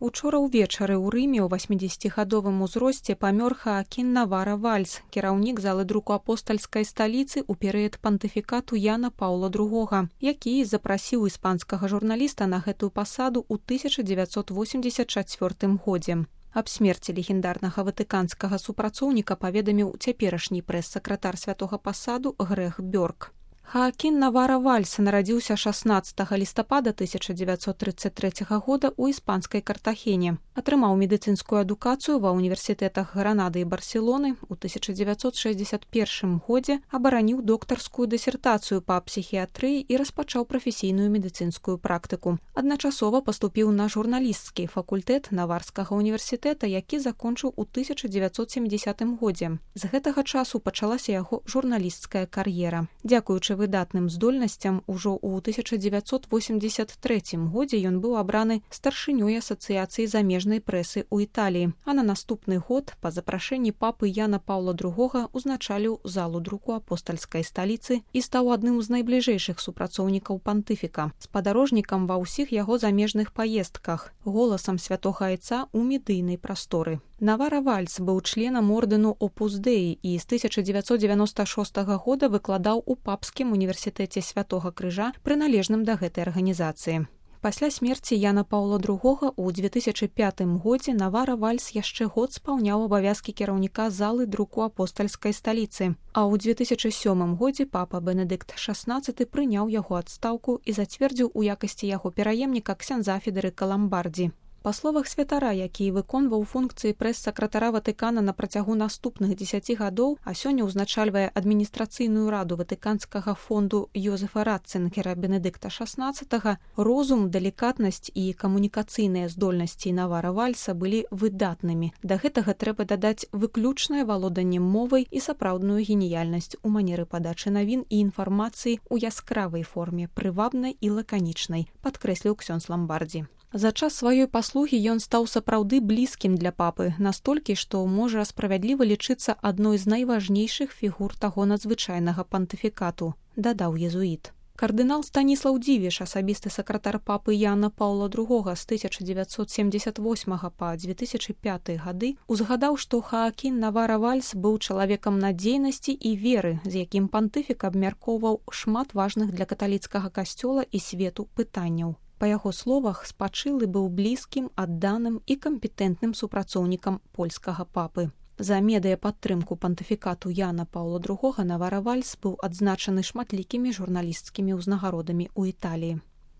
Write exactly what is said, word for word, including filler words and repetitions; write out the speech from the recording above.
Учора ўвечары ў Рыме ў васьмідзесяцігадовым узросце памёр Хаакін Навара Вальс, кіраўнік залы друку апостальскай сталіцы ў перыяд пантыфікату Яна Паўла другога, які запрасіў іспанскага журналіста на гэтую пасаду ў тысяча дзевяцьсот восемьдзесят чацвёртым годзе. Аб смерці легендарнага ватыканскага супрацоўніка паведаміў цяперашні прэс-сакратар святога пасаду Грэх Бёрк. Хаакін Навара Вальс нарадзіўся шаснаццатага лістапада тысяча дзевяцьсот трыццаць трэцяга года ў іспанскай Картахене. Атрымаў медыцынскую адукацыю ва ўніверсітэтах Гранады і Барселоны. У тысяча дзевяцьсот шэсцьдзесят першым годзе абараніў доктарскую дысертацыю па псіхіятрыі і распачаў прафесійную медыцынскую практыку. Адначасова паступіў на журналісцкі факультэт Наварскага ўніверсітэта, які закончыў у тысяча дзевяцьсот сямідзесятым годзе. З гэтага часу пачалася яго журналісцкая кар'ера. Дзякуючы выдатным здольнасцям ужо ў тысяча дзевяцьсот восемьдзесят трэцім годзе ён быў абраны старшынёй асацыяцыі замежнай прэсы ў Італіі, а на наступны год па запрашэнні папы Яна Паўла другога узначаліў залу друку апостальскай сталіцы і стаў адным з найбліжэйшых супрацоўнікаў пантыфіка, спадарожнікам ва ўсіх яго замежных паездках, голасам святога айца ў медыйнай прасторы. Навара Вальс быў членам ордэну Опус Дэі і з тысяча дзевяцьсот дзевяноста шостага года выкладаў у папскім універсітэце Святога Крыжа, прыналежным да гэтай арганізацыі. Пасля смерці Яна Паўла другога ў дзве тысячы пятым годзе Навара Вальс яшчэ год спаўняў абавязкі кіраўніка залы друку апостальскай сталіцы, а ў дзве тысячы сёмым годзе папа Бенедыкт шаснаццаты прыняў яго адстаўку і зацвердзіў у якасці яго пераемніка ксяндза Федэрыка Ламбардзі. Па словах святара, які выконваў функцыі прэс-сакратара Ватыкана на працягу наступных дзесяці гадоў, а сёння ўзначальвае адміністрацыйную раду ватыканскага фонду Йозефа Ратцынгера Бенедыкта шаснаццатага, розум, далікатнасць і камунікацыйныя здольнасці Навара Вальса былі выдатнымі. Да гэтага трэба дадаць выключнае валоданне мовай і сапраўдную геніяльнасць у манеры падачы навін і інфармацыі ў яскравай форме, прывабнай і лаканічнай, падкрэсліў ксёндз Ламбардзі. За час сваёй паслугі ён стаў сапраўды блізкім для папы, настолькі, што можа справядліва лічыцца адной з найважнейшых фігур таго надзвычайнага пантыфікату, дадаў езуіт. Кардынал Станіслаў Дзівіш, асабісты сакратар папы Яна Паўла другога з тысяча дзевяцьсот семьдесят восьмага па дзве тысячы пяты гады, узгадаў, што Хаакін Навара Вальс быў чалавекам надзейнасці і веры, з якім пантыфік абмяркоўваў шмат важных для каталіцкага касцёла і свету пытанняў. Па яго словах, спачылы быў блізкім, адданым і кампетэнтным супрацоўнікам польскага папы. За медыяпадтрымку пантыфікату Яна Паўла другога Навара Вальс быў адзначаны шматлікімі журналісцкімі ўзнагародамі ў Італіі.